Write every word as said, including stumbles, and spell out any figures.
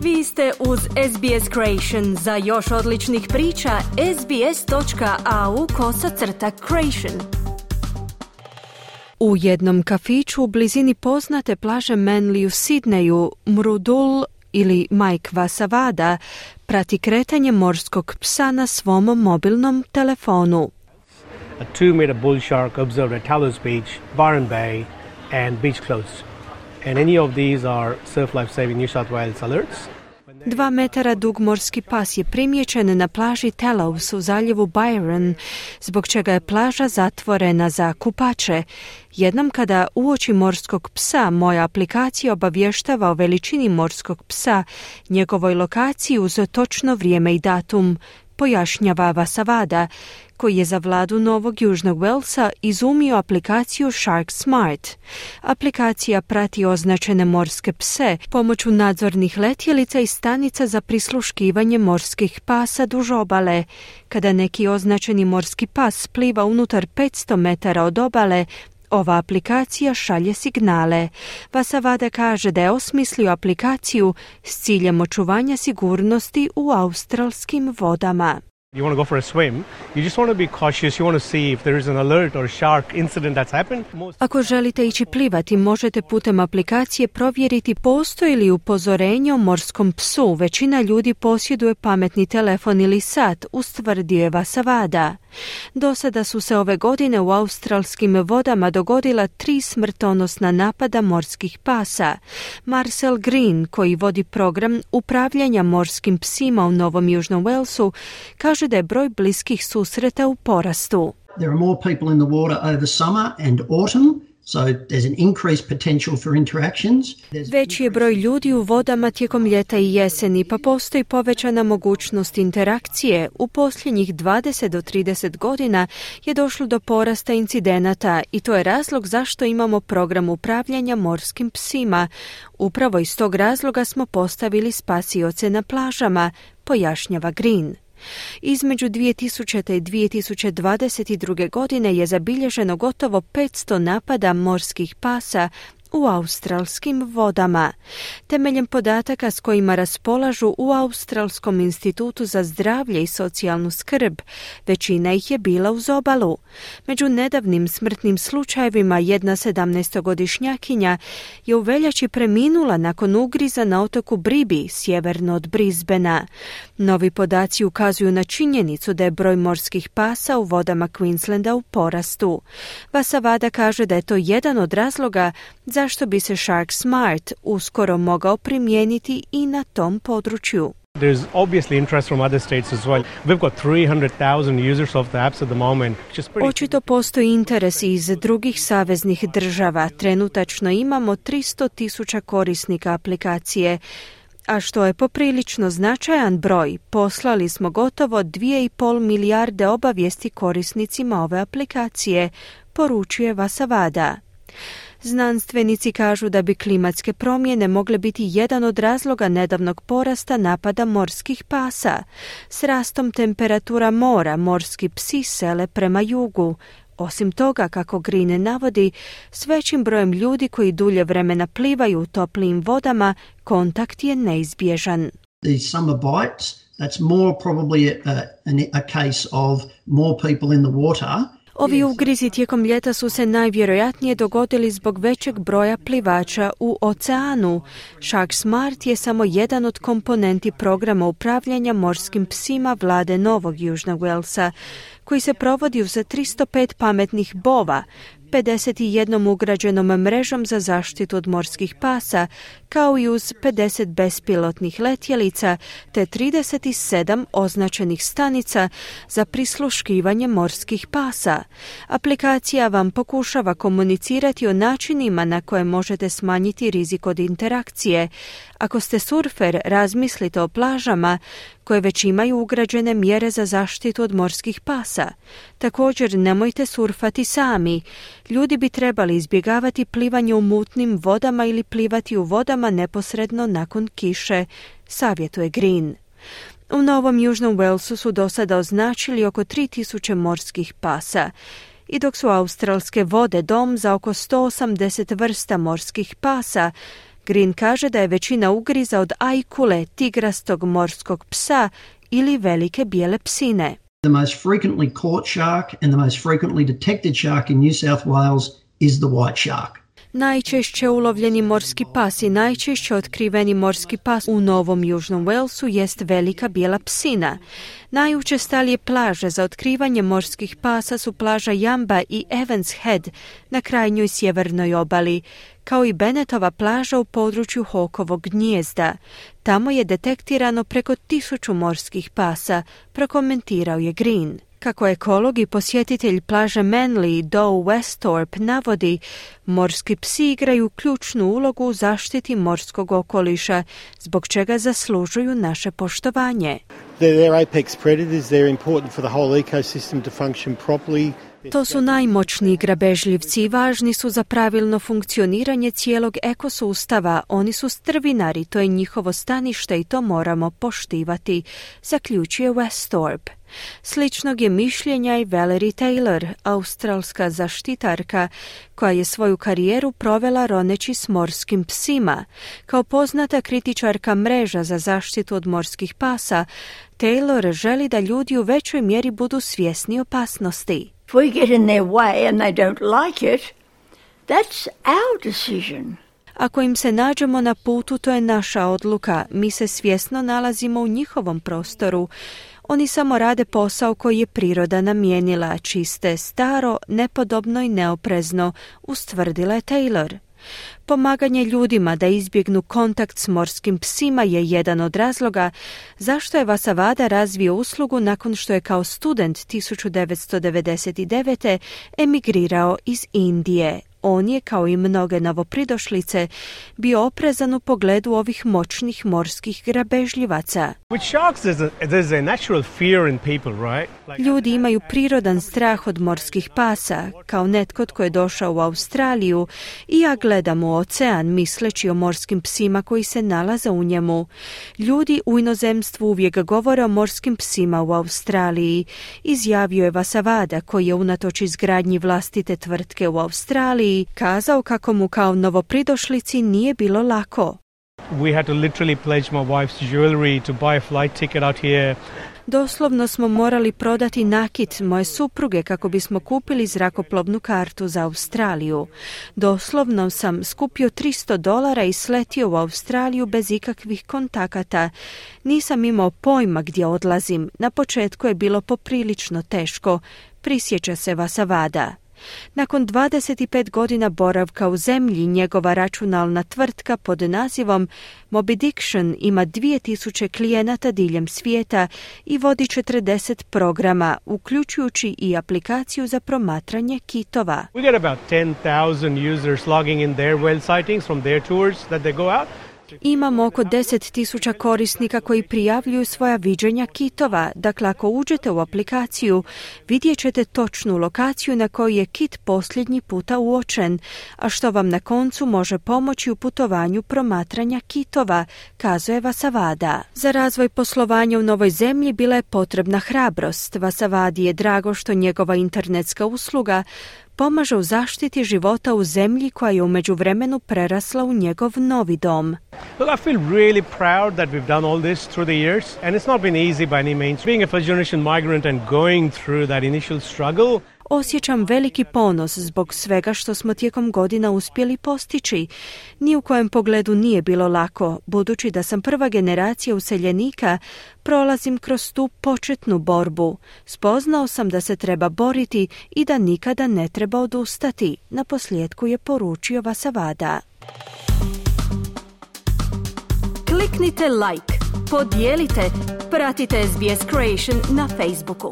Vi ste uz S B S Creation. Za još odličnih priča, sbs.au kosacrta creation. U jednom kafiću u blizini poznate plaže Manly u Sidneju, Mrudul ili Mike Vasavada prati kretanje morskog psa na svom mobilnom telefonu. A two-meter bull shark observed at Talos Beach, Byron Bay and Beach Close. And any of these are Surf Life Saving New South Wales alerts. Dva metara dug morski pas je primijećen na plaži Talos u zaljevu Byron, zbog čega je plaža zatvorena za kupače. Jednom kada uoči morskog psa, moja aplikacija obavještava o veličini morskog psa, njegovoj lokaciji uz točno vrijeme i datum, pojašnjava Vasavada, koji je za vladu Novog Južnog Walesa izumio aplikaciju Shark Smart. Aplikacija prati označene morske pse pomoću nadzornih letjelica i stanica za prisluškivanje morskih pasa duž obale. Kada neki označeni morski pas pliva unutar petsto metara od obale, ova aplikacija šalje signale. Vasavada kaže da je osmislio aplikaciju s ciljem očuvanja sigurnosti u australskim vodama. You want to go for a swim, you just want to be cautious, you want to see if there is an alert or shark incident that's happened. Ako želite ići plivati, možete putem aplikacije provjeriti postoji li upozorenje o morskom psu. Većina ljudi posjeduje pametni telefon ili sat, ustvrdio je Vasavada. Do sada su se ove godine u australskim vodama dogodila tri smrtonosna napada morskih pasa. Marcel Green, koji vodi program upravljanja morskim psima u Novom Južnom Walesu, kaže da je broj bliskih susreta u porastu. There are more people in the water over summer and autumn, so there's an increased potential for interactions. Veći je broj ljudi u vodama tijekom ljeta i jeseni, pa postoji povećana mogućnost interakcije. U posljednjih dvadeset do trideset godina je došlo do porasta incidenata i to je razlog zašto imamo program upravljanja morskim psima. Upravo iz tog razloga smo postavili spasioce na plažama, pojašnjava Green. Između dvije tisućite i dvije tisuće dvadeset druge. godine je zabilježeno gotovo petsto napada morskih pasa u australskim vodama. Temeljem podataka s kojima raspolažu u Australskom institutu za zdravlje i socijalnu skrb, većina ih je bila uz obalu. Među nedavnim smrtnim slučajevima jedna sedamnaestogodišnjakinja je u veljači preminula nakon ugriza na otoku Bribi, sjeverno od Brisbanea. Novi podaci ukazuju na činjenicu da je broj morskih pasa u vodama Queenslanda u porastu. Vasavada kaže da je to jedan od razloga zašto bi se Shark Smart uskoro mogao primijeniti i na tom području. There's obviously interest from other states as well. We've got three hundred thousand users of the apps at the moment. Očito postoji interes iz drugih saveznih država. Trenutačno imamo tristo tisuća korisnika aplikacije, a što je poprilično značajan broj. Poslali smo gotovo dvije i pol milijarde obavijesti korisnicima ove aplikacije, poručuje Vasavada. Znanstvenici kažu da bi klimatske promjene mogle biti jedan od razloga nedavnog porasta napada morskih pasa. S rastom temperatura mora morski psi sele prema jugu. Osim toga, kako Green navodi, s većim brojem ljudi koji dulje vremena plivaju u toplijim vodama, kontakt je neizbježan. These summer bites, that's more probably a, a, a case of more people in the water. Ovi ugrizi tijekom ljeta su se najvjerojatnije dogodili zbog većeg broja plivača u oceanu. Shark Smart je samo jedan od komponenti programa upravljanja morskim psima vlade Novog Južnog Walesa, koji se provodi uz tristo pet pametnih bova, pedeset jednom ugrađenom mrežom za zaštitu od morskih pasa, kao i uz pedeset bespilotnih letjelica te trideset sedam označenih stanica za prisluškivanje morskih pasa. Aplikacija vam pokušava komunicirati o načinima na koje možete smanjiti rizik od interakcije. Ako ste surfer, razmislite o plažama koje već imaju ugrađene mjere za zaštitu od morskih pasa. Također, nemojte surfati sami. Ljudi bi trebali izbjegavati plivanje u mutnim vodama ili plivati u vodama neposredno nakon kiše, savjetuje Green. U Novom Južnom Walesu su do sada označili oko tri tisuće morskih pasa. I dok su australske vode dom za oko sto osamdeset vrsta morskih pasa, Green kaže da je većina ugriza od ajkule, tigrastog morskog psa ili velike bijele psine. The most frequently caught shark and the most frequently detected shark in New South Wales is the white shark. Najčešće ulovljeni morski pas i najčešće otkriveni morski pas u Novom Južnom Walesu jest velika bijela psina. Najučestalije plaže za otkrivanje morskih pasa su plaža Jamba i Evans Head na krajnjoj sjevernoj obali, kao i Bennettova plaža u području Hawkovog gnijezda. Tamo je detektirano preko tisuću morskih pasa, prokomentirao je Green. Kako ekolog i posjetitelj plaže Manly Doe Westhorpe navodi, morski psi igraju ključnu ulogu u zaštiti morskog okoliša, zbog čega zaslužuju naše poštovanje. They're apex predators, they're important for the whole ecosystem to function properly. To su najmoćniji grabežljivci i važni su za pravilno funkcioniranje cijelog ekosustava. Oni su strvinari, to je njihovo stanište i to moramo poštivati, zaključuje Westhorpe. Sličnog je mišljenja i Valerie Taylor, australska zaštitarka, koja je svoju karijeru provela roneći s morskim psima. Kao poznata kritičarka mreža za zaštitu od morskih pasa, Taylor želi da ljudi u većoj mjeri budu svjesni opasnosti. If we get in their way and they don't like it, that's our decision. Ako im se nađemo na putu, to je naša odluka. Mi se svjesno nalazimo u njihovom prostoru. Oni samo rade posao koji je priroda namijenila, čiste, staro, nepodobno i neoprezno, ustvrdila je Taylor. Pomaganje ljudima da izbjegnu kontakt s morskim psima je jedan od razloga zašto je Vasavada razvio uslugu nakon što je kao student tisuću devetsto devedeset devete emigrirao iz Indije. On je, kao i mnoge novopridošlice, bio oprezan u pogledu ovih moćnih morskih grabežljivaca. Ljudi imaju prirodan strah od morskih pasa. Kao netko tko je došao u Australiju i ja gledam u ocean misleći o morskim psima koji se nalaze u njemu. Ljudi u inozemstvu uvijek govore o morskim psima u Australiji, izjavio je Vasavada, koji je unatoč izgradnji vlastite tvrtke u Australiji kazao kako mu kao novopridošlici nije bilo lako. We had to literally pledge my wife's jewelry to buy a flight ticket out here. Doslovno smo morali prodati nakit moje supruge kako bismo kupili zrakoplovnu kartu za Australiju. Doslovno sam skupio tristo dolara i sletio u Australiju bez ikakvih kontakata. Nisam imao pojma gdje odlazim. Na početku je bilo poprilično teško, prisjeća se Vasavada. Nakon dvadeset pet godina boravka u zemlji, njegova računalna tvrtka pod nazivom Mobidiction ima dvije tisuće klijenata diljem svijeta i vodi četrdeset programa, uključujući i aplikaciju za promatranje kitova. We get about ten thousand users logging in their whale sightings from their tours that they go out. Imamo oko deset tisuća korisnika koji prijavljuju svoja viđenja kitova. Dakle, ako uđete u aplikaciju, vidjet ćete točnu lokaciju na kojoj je kit posljednji puta uočen, a što vam na koncu može pomoći u putovanju promatranja kitova, kazuje Vasavada. Za razvoj poslovanja u novoj zemlji bila je potrebna hrabrost. Vasavadi je drago što njegova internetska usluga pomaže u zaštiti života u zemlji koja je u međuvremenu prerasla u njegov novi dom. Well, I feel really proud that we've done all this through the years, and it's not been easy by any means. Being a first generation migrant and going through that initial struggle. Osjećam veliki ponos zbog svega što smo tijekom godina uspjeli postići. Ni u kojem pogledu nije bilo lako, budući da sam prva generacija useljenika, prolazim kroz tu početnu borbu. Spoznao sam da se treba boriti i da nikada ne treba odustati, na posljedku je poručio Vasavada. Kliknite like, podijelite, pratite S B S Creation na Facebooku.